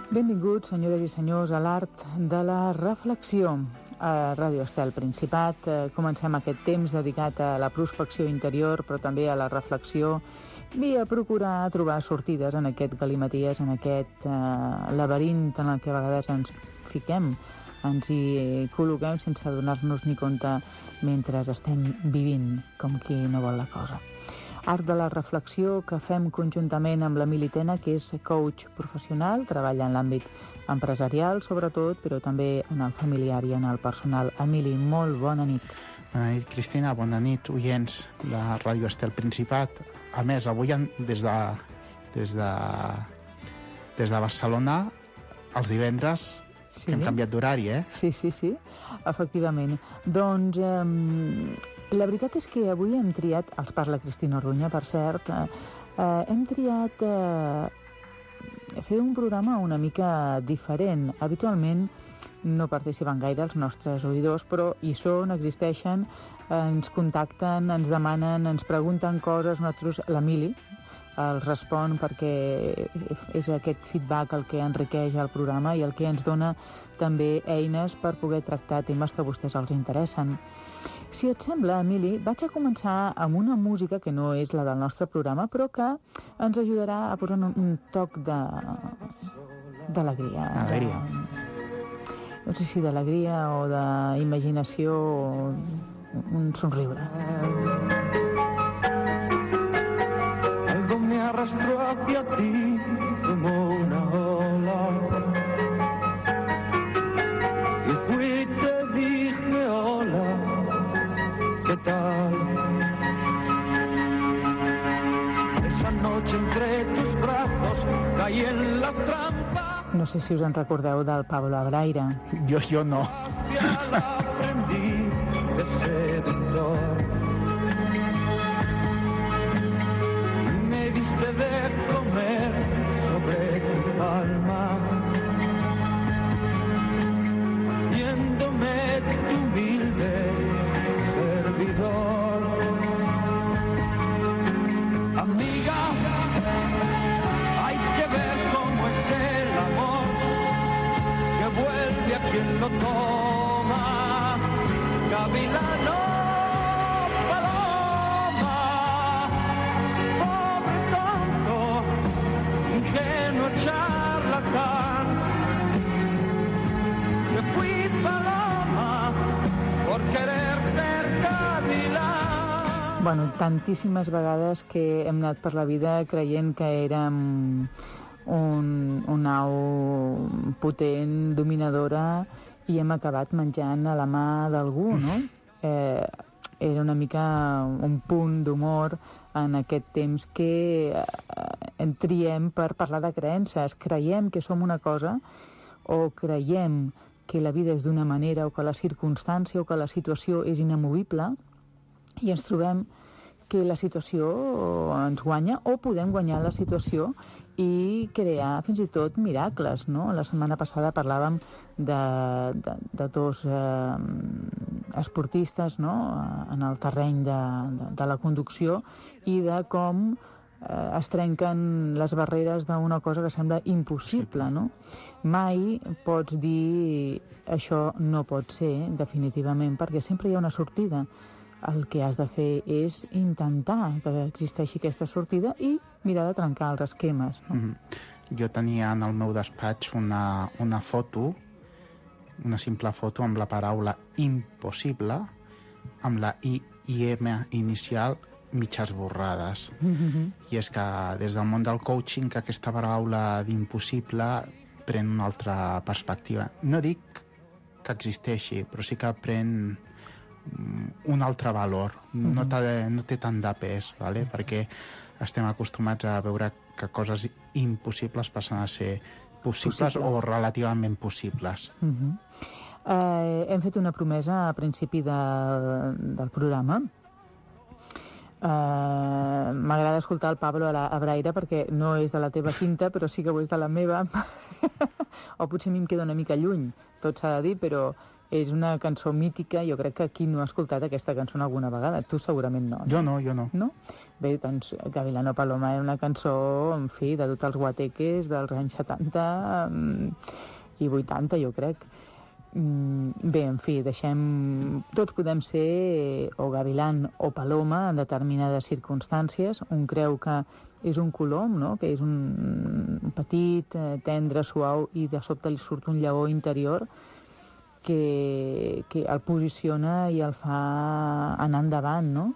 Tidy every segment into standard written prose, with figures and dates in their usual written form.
Benvinguts, senyores i senyors, a l'art de la reflexió. A Ràdio Estel Principat comencem aquest temps dedicat a la prospecció interior, però també a la reflexió i a procurar trobar sortides en aquest galimaties, en aquest laberint en el que a vegades ens fiquem, ens hi col·loquem sense adonar-nos ni compte mentre estem vivint com qui no vol la cosa. Art de la reflexió que fem conjuntament amb l'Emili Tena, que és coach professional, treballa en l'àmbit empresarial, sobretot, però també en el familiar i en el personal. Emili, molt bona nit. Bona nit, Cristina. Bona nit, oients de Ràdio Estel Principat. A més, avui des de Barcelona, els divendres, sí, que hem canviat d'horari, eh? Sí, efectivament. Doncs la veritat és que avui hem triat, els parla Cristina Orduña, per cert, hem triat fer un programa una mica diferent. Habitualment no participen gaire els nostres oïdors, però hi són, existeixen, ens contacten, ens demanen, ens pregunten coses, nosaltres, l'Emili els respon perquè és aquest feedback el que enriqueix el programa i el que ens dona també eines per poder tractar temes que a vostès els interessen. Si et sembla, Emili, vaig a començar amb una música que no és la del nostre programa, però que ens ajudarà a posar un toc d'alegria. Alegria. No sé si d'alegria o d'imaginació o un somriure. Algo me arrastró hacia ti como una ola y fui y te dije hola, ¿qué tal? Esa noche entre tus brazos caí en la trampa. No sé si us en recordeu del Pablo Abraire. Jo no. Aprendí de seductor. Me diste de comer sobre tu palma, viéndome tu humilde servidor. Amiga, hay que ver cómo es el amor, que vuelve a quien lo toma. Gavilano, paloma, pobre tonto, ingenuo charlatán. Me fui paloma por querer ser gavilán. Bueno, tantíssimes vegades que hem anat per la vida creient que érem un au potent, dominadora, i hem acabat menjant a la mà d'algú, no? Era una mica un punt d'humor en aquest temps que triem per parlar de creences. Creiem que som una cosa o creiem que la vida és d'una manera o que la circumstància o que la situació és inamovible i ens trobem que la situació ens guanya o podem guanyar la situació i crear fins i tot miracles, no? La setmana passada parlàvem de dos esportistes, no? En el terreny de la conducció i de com es trenquen les barreres d'una cosa que sembla impossible, no? Mai pots dir això no pot ser, definitivament, perquè sempre hi ha una sortida. El que has de fer és intentar que existeixi aquesta sortida i mirar de trencar els esquemes, no? Jo tenia en el meu despatx una foto, una simple foto amb la paraula impossible, amb la I i M inicial mig esborrades. I és que des del món del coaching que aquesta paraula d'impossible pren una altra perspectiva. No dic que existeixi, però sí que pren un altre valor. No té tant de pes, ¿vale? Perquè estem acostumats a veure que coses impossibles passen a ser possibles o relativament possibles. Hem fet una promesa a principi del programa. M'agrada escoltar el Pablo Abraire perquè no és de la teva cinta, però sí que ho és de la meva. O potser a mi em queda una mica lluny, tot s'ha de dir, però és una cançó mítica. Jo crec que qui no ha escoltat aquesta cançó alguna vegada? Tu segurament no. Jo no. No? Bé, doncs, Gavilano Paloma era una cançó, en fi, de tots els guateques dels anys 70 i 80, jo crec. Bé, en fi, tots podem ser o gavilan o paloma en determinades circumstàncies. Un creu que és un colom, no?, que és un petit, tendre, suau, i de sobte li surt un lleó interior que el posiciona i el fa anar endavant, no?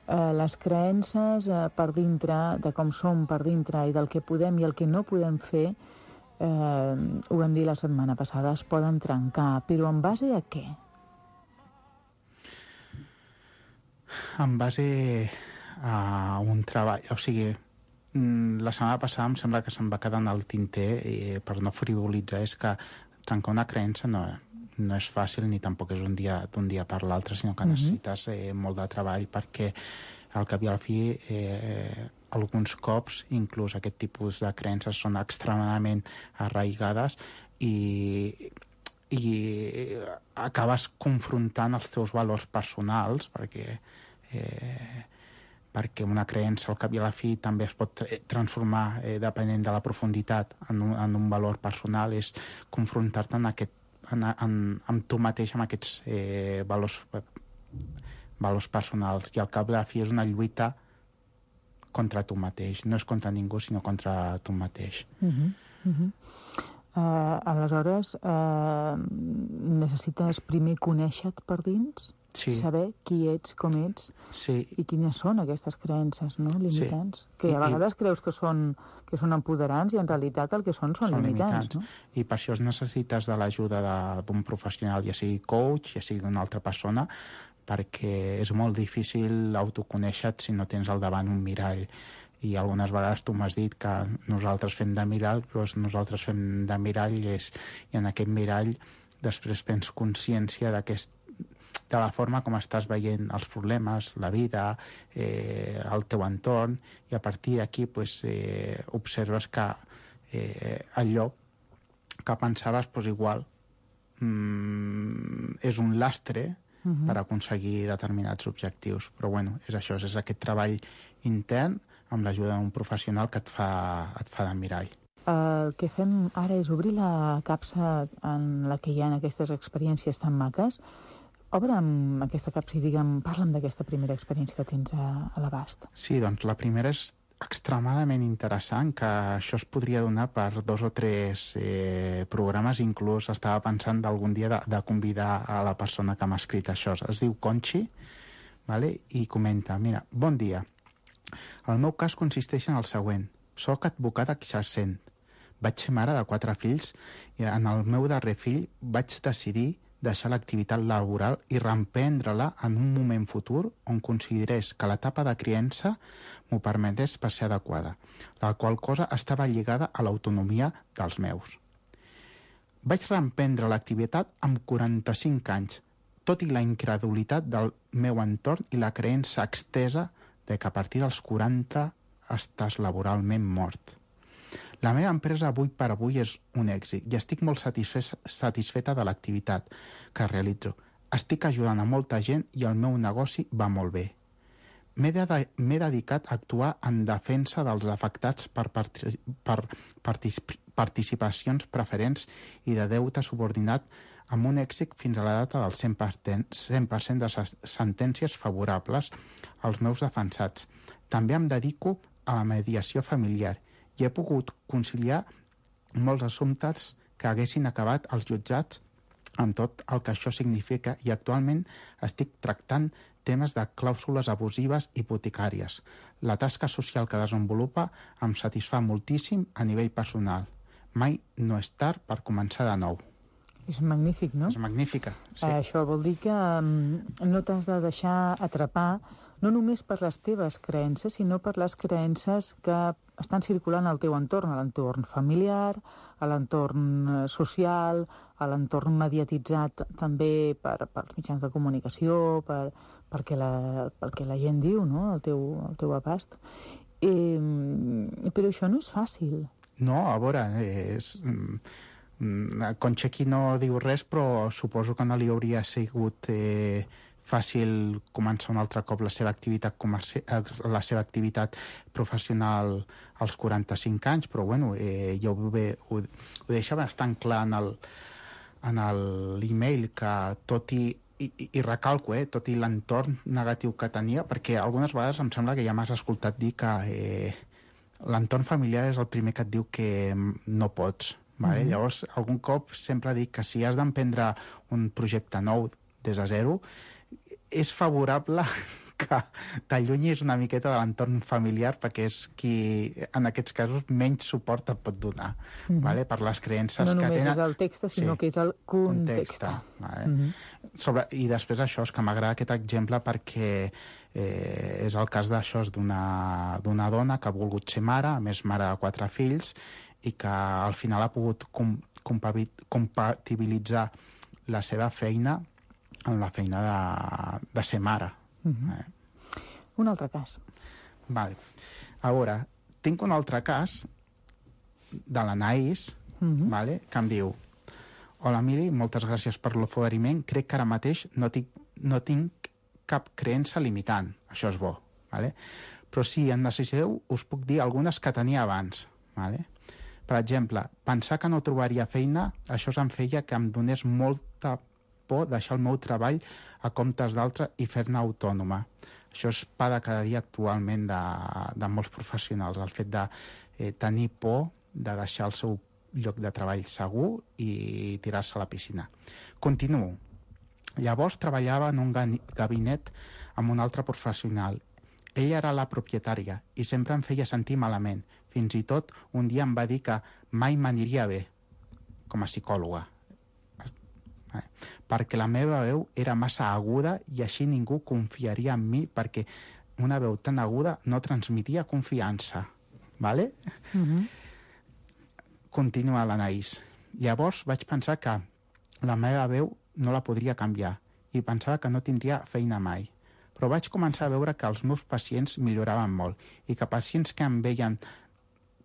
Les creences per dintre, de com som per dintre i del que podem i el que no podem fer, ho vam dir la setmana passada, es poden trencar, però en base a què? En base a un treball, o sigui, la setmana passada em sembla que se'm va quedar en el tinter, per no frivolitzar, és que trencar una creença no és fàcil ni tampoc és d'un dia per l'altre, sinó que necessites molt de treball, perquè al cap i al fi alguns cops inclús aquest tipus de creences són extremadament arraigades i acabes confrontant els teus valors personals, perquè una creença al cap i a la fi també es pot transformar, depenent de la profunditat, en un valor personal. És confrontar-te amb tu mateix, amb aquests valors personals, i al cap i a la fi és una lluita contra tu mateix. No és contra ningú, sinó contra tu mateix. Aleshores, necessites primer conèixer-te per dins? Sí. Saber qui ets, com ets, i quines són aquestes creences, no?, limitants. Sí. Que a vegades creus que són empoderants i en realitat el que són limitants. No? I per això necessites de l'ajuda d'un professional, ja sigui coach, ja sigui una altra persona, perquè és molt difícil autoconèixer-te si no tens al davant un mirall. I algunes vegades tu m'has dit que nosaltres fem de mirall, doncs nosaltres fem de mirall, i en aquest mirall després prens consciència de la forma com estàs veient els problemes, la vida, el teu entorn, i a partir d'aquí observes que allò que pensaves igual és un lastre per aconseguir determinats objectius. Però bueno, és això, és aquest treball intern amb l'ajuda d'un professional que et fa de mirall. El que fem ara és obrir la capsa en la que hi ha aquestes experiències tan maques. Obre'm aquesta capsa i parla'm d'aquesta primera experiència que tens a l'abast. Sí, doncs la primera és extremadament interessant, que això es podria donar per 2 o 3 programes. Inclús estava pensant d'algun dia de convidar a la persona que m'ha escrit això. Es diu Conchi, vale? I comenta: mira, bon dia. El meu cas consisteix en el següent. Soc advocada exercent. Vaig ser mare de 4 fills i en el meu darrer fill vaig decidir deixar l'activitat laboral i reemprendre-la en un moment futur on considerés que l'etapa de criança m'ho permetés per ser adequada, la qual cosa estava lligada a l'autonomia dels meus. Vaig reemprendre l'activitat amb 45 anys, tot i la incredulitat del meu entorn i la creença extesa de que a partir dels 40 estàs laboralment mort. La meva empresa avui per avui és un èxit i estic molt satisfeta de l'activitat que realitzo. Estic ajudant a molta gent i el meu negoci va molt bé. M'he dedicat a actuar en defensa dels afectats per participacions preferents i de deute subordinat amb un èxit fins a la data del 100% de sentències favorables als meus defensats. També em dedico a la mediació familiar i he pogut conciliar molts assumptes que haguessin acabat als jutjats amb tot el que això significa, i actualment estic tractant temes de clàusules abusives hipotecàries. La tasca social que desenvolupa em satisfà moltíssim a nivell personal. Mai no és tard per començar de nou. És magnífic, no? És magnífica, sí. Això vol dir que no t'has de deixar atrapar no només per les teves creences, sinó per les creences que estan circulant al teu entorn, a l'entorn familiar, a l'entorn social, a l'entorn mediatitzat també pels mitjans de comunicació, perquè la gent diu, no?, el teu abast. Però això no és fàcil. No, a veure, Concha aquí no diu res, però suposo que no li hauria sigut fàcil començar un altre cop la seva activitat professional als 45 anys, però bueno, jo ho deixa bastant clar en l'email que tot i recalco, tot i l'entorn negatiu que tenia, perquè algunes vegades em sembla que ja m'has escoltat dir que l'entorn familiar és el primer que et diu que no pots. Vale? Llavors, algun cop sempre dic que si has d'emprendre un projecte nou des de zero, és favorable que t'allunyis una miqueta de l'entorn familiar perquè és qui, en aquests casos, menys suport et pot donar, vale? Per les creences que tenen. No només és el text, sinó que és el context. Vale? I després això, és que m'agrada aquest exemple perquè és el cas d'això, d'una dona que ha volgut ser mare, a més mare de 4 fills, i que al final ha pogut compatibilitzar la seva feina amb la feina de ser mare. Un altre cas. Vale. A veure, tinc un altre cas de l'Anaïs, vale, que em diu: hola, Mili, moltes gràcies per l'oferiment. Crec que ara mateix no tinc cap creença limitant. Això és bo. Vale? Però si en necessiteu, us puc dir algunes que tenia abans. Vale? Per exemple, pensar que no trobaria feina, això em feia que em donés molta por deixar el meu treball a comptes d'altre i fer-ne autònoma. Això és pa de cada dia actualment de molts professionals, el fet de tenir por de deixar el seu lloc de treball segur i tirar-se a la piscina. Continuo. Llavors treballava en un gabinet amb un altre professional. Ella era la propietària i sempre em feia sentir malament. Fins i tot un dia em va dir que mai m'aniria bé com a psicòloga, perquè la meva veu era massa aguda i així ningú confiaria en mi, perquè una veu tan aguda no transmetia confiança. Vale? Continua l'Anaïs. Llavors vaig pensar que la meva veu no la podria canviar i pensava que no tindria feina mai. Però vaig començar a veure que els meus pacients milloraven molt i que pacients que em veien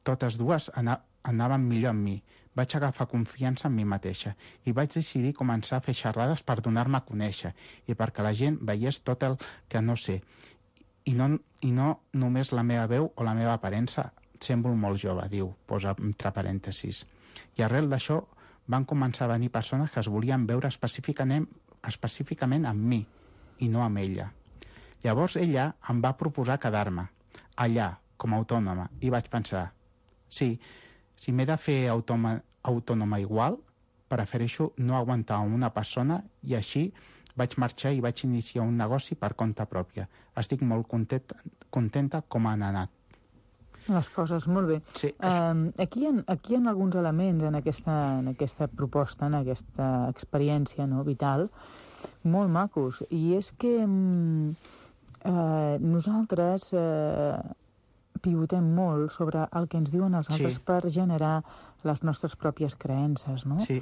totes dues anaven millor amb mi. Vaig agafar confiança en mi mateixa i vaig decidir començar a fer xerrades per donar-me a conèixer i perquè la gent veiés tot el que no sé. I no només la meva veu o la meva aparença. Semblo molt jove, diu, posa entre parèntesis. I arrel d'això van començar a venir persones que es volien veure específicament amb mi i no amb ella. Llavors ella em va proposar quedar-me allà com a autònoma i vaig pensar: sí, si m'he de fer autònoma igual, prefereixo no aguantar una persona i així vaig marxar i vaig iniciar un negoci per compte pròpia. Estic molt contenta com han anat. Les coses, molt bé. Sí. Aquí hi ha alguns elements en aquesta proposta, en aquesta experiència, no, vital, molt macos. I és que nosaltres pivotem molt sobre el que ens diuen els altres per generar les nostres pròpies creences, no? Sí.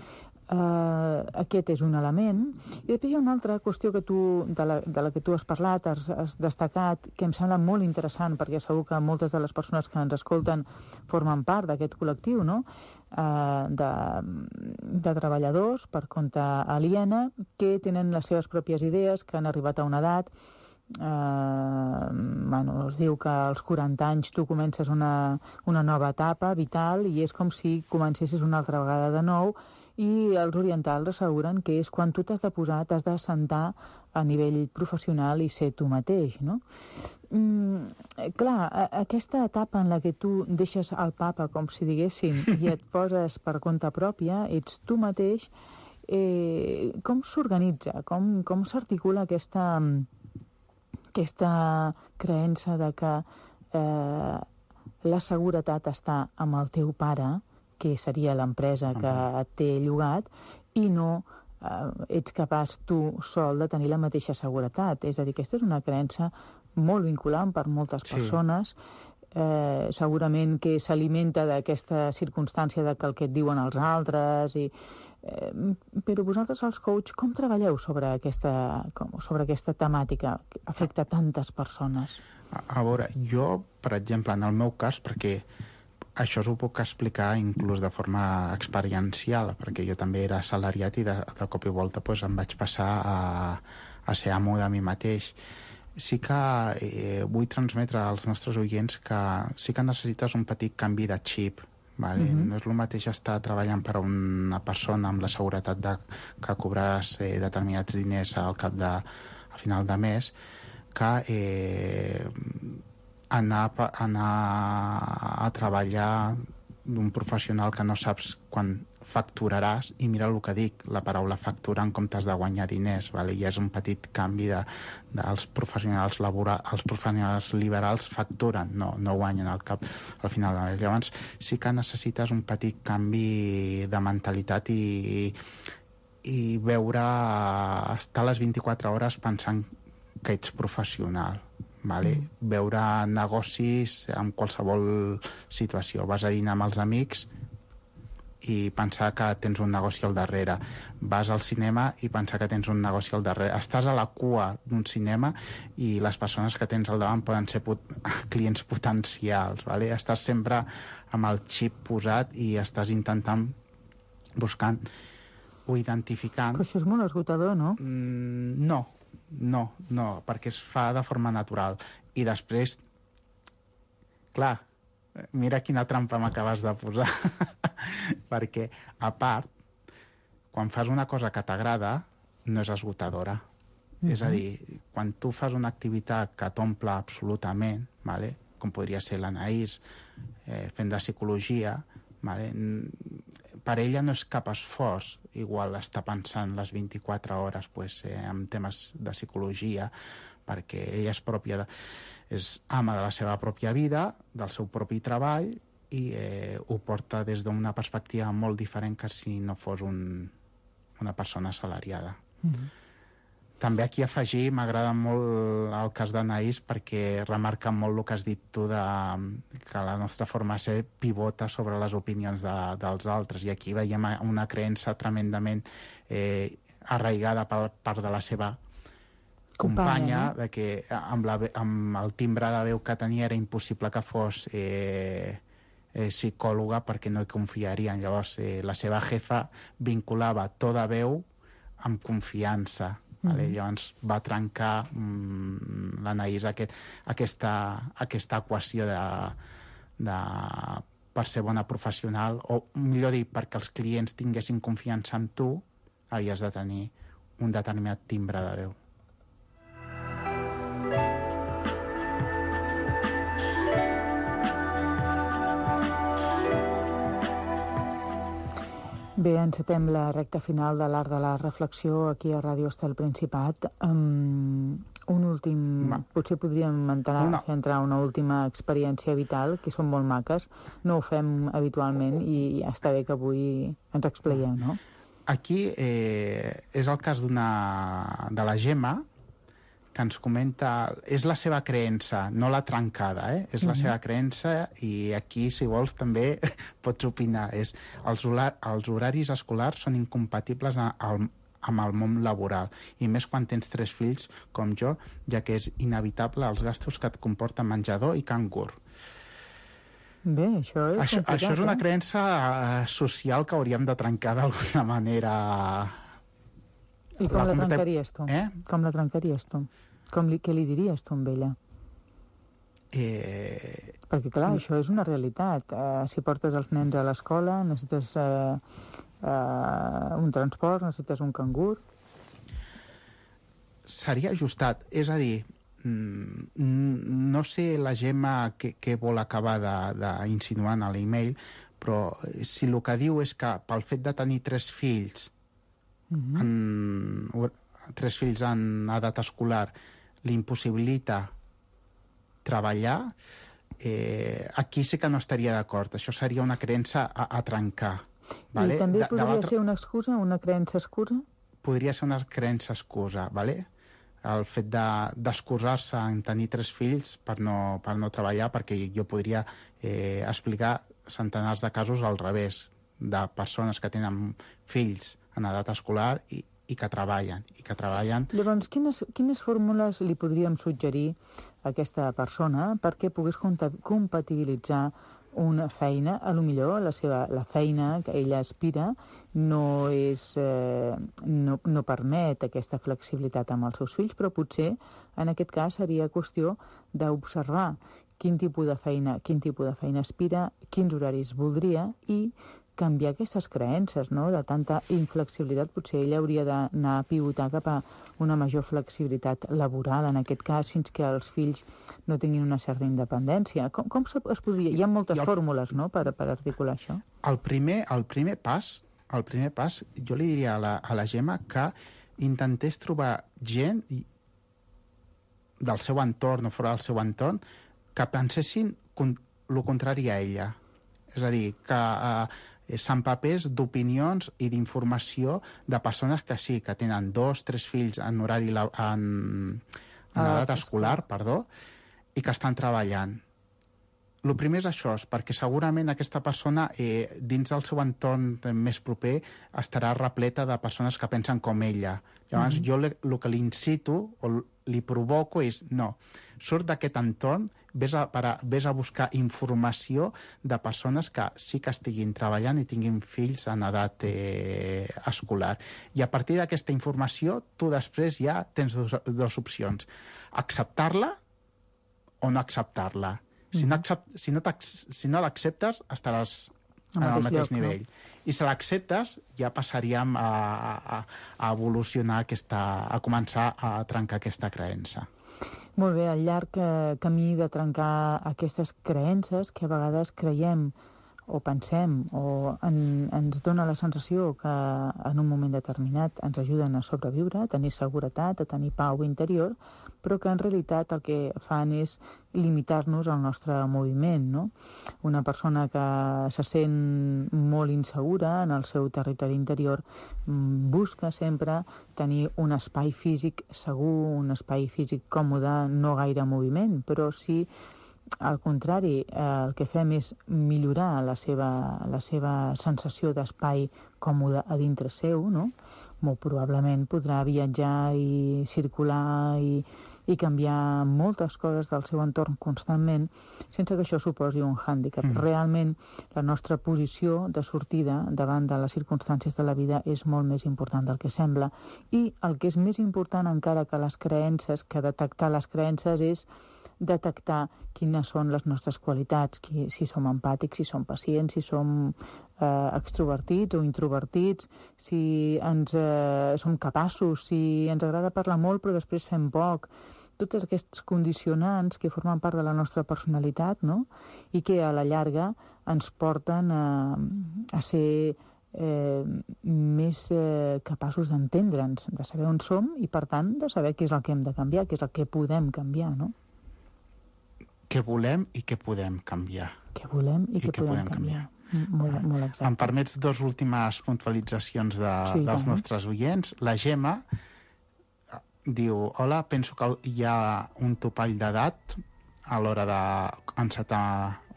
Aquest és un element. I després hi ha una altra qüestió que de la que tu has parlat, has destacat, que em sembla molt interessant, perquè segur que moltes de les persones que ens escolten formen part d'aquest col·lectiu, no? De treballadors per compte aliena que tenen les seves pròpies idees, que han arribat a una edat. Es diu que als 40 anys tu comences una nova etapa vital i és com si comencessis una altra vegada de nou, i els orientals asseguren que és quan tu t'has de posar, t'has d'assentar a nivell professional i ser tu mateix, no? Clar, aquesta etapa en la que tu deixes el papa, com si diguéssim, i et poses per compte pròpia, ets tu mateix, com s'organitza, com s'articula aquesta creença de que la seguretat està amb el teu pare, que seria l'empresa que et té llogat, i no ets capaç tu sol de tenir la mateixa seguretat. És a dir, aquesta és una creença molt vinculant per moltes persones, segurament que s'alimenta d'aquesta circumstància de que el que et diuen els altres, però vosaltres, els coach, com treballeu sobre aquesta temàtica que afecta tantes persones? A veure, jo, per exemple, en el meu cas, perquè això ho puc explicar inclús de forma experiencial, perquè jo també era assalariat i de cop i volta em vaig passar a ser amo de mi mateix. Sí que vull transmetre als nostres oients que sí que necessites un petit canvi de xip, vale? No és el mateix estar treballant per a una persona amb la seguretat que cobraràs determinats diners al final de mes, que anar a treballar d'un professional que no saps quan facturaràs, i mira el que dic, la paraula facturar en comptes de guanyar diners, vale? I és un petit canvi dels professionals els professionals liberals facturen, no guanyen al final de mes. Llavors sí que necessites un petit canvi de mentalitat i veure, estar les 24 hores pensant que ets professional, vale? Veure negocis en qualsevol situació. Vas a dinar amb els amics i pensar que tens un negoci al darrere. Vas al cinema i pensar que tens un negoci al darrere. Estàs a la cua d'un cinema i les persones que tens al davant poden ser clients potencials, vale? Estàs sempre amb el xip posat i estàs intentant, buscant o identificant... Però això és molt esgotador, no? No, perquè es fa de forma natural. I després, clar, mira quina trampa m'acabes de posar. Perquè, a part, quan fas una cosa que t'agrada, no és esgotadora. És a dir, quan tu fas una activitat que t'omple absolutament, vale? Com podria ser l'Anaïs fent de psicologia, vale? Per ella no és cap esforç igual estar pensant les 24 hores en temes de psicologia, perquè ella és ama de la seva pròpia vida, del seu propi treball, i ho porta des d'una perspectiva molt diferent que si no fos una persona assalariada. També aquí afegir, m'agrada molt el cas d'Anaïs perquè remarca molt el que has dit tu que la nostra forma de ser pivota sobre les opinions dels altres, i aquí veiem una creença tremendament arraigada per part de la seva companya, de que amb el timbre de veu que tenia era impossible que fos psicòloga perquè no hi confiarien. Llavors la seva jefa vinculava to de veu amb confiança. Vale? Llavors va trencar l'Anaïs aquesta equació per ser bona professional, o millor dir, perquè els clients tinguessin confiança en tu, havies de tenir un determinat timbre de veu. Bé, encetem la recta final de l'Art de la Reflexió aquí a Ràdio Estel Principat. Un últim... Potser podríem entrar una última experiència vital, que són molt maques. No ho fem habitualment i està bé que avui ens explayeu, no? Aquí és el cas de la Gemma, que ens comenta... És la seva creença, no la trencada, És la seva creença, i aquí, si vols, també pots opinar. Els horaris escolars són incompatibles amb el món laboral, i més quan tens 3 fills, com jo, ja que és inevitable els gastos que et comporta menjador i cangur. Bé, això és complicat. Això és una creença social que hauríem de trencar d'alguna manera. I com la trencaries tu? Com la trencaries tu? Què li diries tu amb ella? Perquè, clar, això és una realitat. Si portes els nens a l'escola, necessites un transport, necessites un cangur. Seria ajustat. És a dir, no sé la Gemma què vol acabar d'insinuar a l'email, però si el que diu és que pel fet de tenir 3 fills, 3 fills en edat escolar, l'impossibilita treballar, aquí sí que no estaria d'acord. Això seria una creença a trencar. Vale? I també podria ser una excusa, una creença excusa? Podria ser una creença excusa, vale? El fet d'excusar-se en tenir 3 fills per no treballar, perquè jo podria explicar centenars de casos al revés, de persones que tenen fills en edat escolar i que treballen. Llavors, quines fórmules li podríem suggerir a aquesta persona perquè pogués compatibilitzar una feina, a lo millor la feina que ella aspira no permet aquesta flexibilitat amb els seus fills, però potser en aquest cas seria qüestió d'observar quin tipus de feina aspira, quins horaris voldria i canviar aquestes creences, no? De tanta inflexibilitat. Potser ella hauria d'anar a pivotar cap a una major flexibilitat laboral, en aquest cas, fins que els fills no tinguin una certa independència. Com es podria... Hi ha moltes fórmules, no?, per articular això. El primer pas, jo li diria a la Gemma que intentés trobar gent del seu entorn o fora del seu entorn que pensessin el contrari a ella. És a dir, que s'empapés d'opinions i d'informació de persones que sí, que tenen 2, 3 fills en horari en edat escolar, i que estan treballant. El primer és això, perquè segurament aquesta persona dins del seu entorn més proper estarà repleta de persones que pensen com ella. Llavors jo el que li incito o li provoco és no, surt d'aquest entorn, vés a buscar informació de persones que sí que estiguin treballant i tinguin fills en edat escolar. I a partir d'aquesta informació tu després ja tens dues opcions, acceptar-la o no acceptar-la. Si no l'acceptes, estaràs al mateix nivell. I si l'acceptes, ja passaríem a evolucionar, a començar a trencar aquesta creença. Molt bé, al llarg camí de trencar aquestes creences que a vegades creiem o pensem o ens dona la sensació que en un moment determinat ens ajuden a sobreviure, a tenir seguretat, a tenir pau interior, però que en realitat el que fan és limitar-nos al nostre moviment, no? Una persona que se sent molt insegura en el seu territori interior busca sempre tenir un espai físic segur, un espai físic còmode, no gaire moviment, però sí al contrari, el que fem és millorar la seva sensació d'espai còmode a dintre seu, no? Molt probablement podrà viatjar i circular i canviar moltes coses del seu entorn constantment sense que això suposi un hàndicap. Realment, la nostra posició de sortida davant de les circumstàncies de la vida és molt més important del que sembla. I el que és més important encara que les creences, que detectar les creences, és detectar quines són les nostres qualitats, si som empàtics, si som pacients, si som extrovertits o introvertits, si som capaços, si ens agrada parlar molt però després fem poc. Tots aquests condicionants que formen part de la nostra personalitat, no? I que a la llarga ens porten a ser més capaços d'entendre'ns, de saber on som i, per tant, de saber què és el que hem de canviar, què és el que podem canviar, no? Què volem i què podem canviar. Què volem i què podem canviar. Molt exacte. Em permets dues últimes puntualitzacions dels nostres oients. La Gemma diu: hola, penso que hi ha un topall d'edat a l'hora d'encetar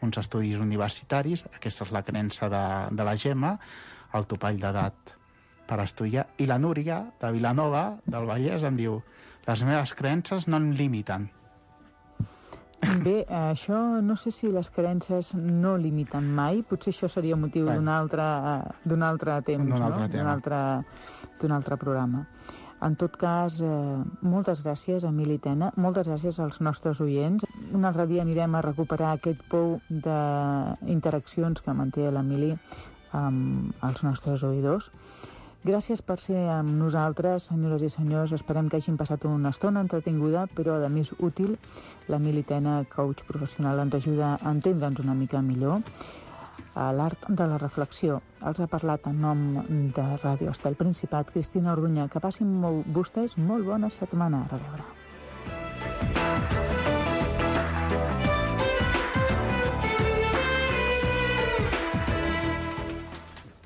uns estudis universitaris. Aquesta és la creença de la Gemma, el topall d'edat per estudiar. I la Núria, de Vilanova, del Vallès, em diu: les meves creences no em limiten. Bé, això no sé si les creences no limiten mai. Potser això seria motiu d'un altre temps, d'un altre programa. En tot cas, moltes gràcies, Emili Tena, moltes gràcies als nostres oients. Un altre dia anirem a recuperar aquest pou d'interaccions que manté l'Emili amb els nostres oïdors. Gràcies per ser amb nosaltres, senyores i senyors. Esperem que hagin passat una estona entretinguda, però a més útil. L'Emili Tena, coach professional, ens ajuda a entendre'ns una mica millor. A l'art de la reflexió. Els ha parlat en nom de Ràdio Estel Principat, Cristina Orduña. Que passin vostès molt bona setmana. A reveure.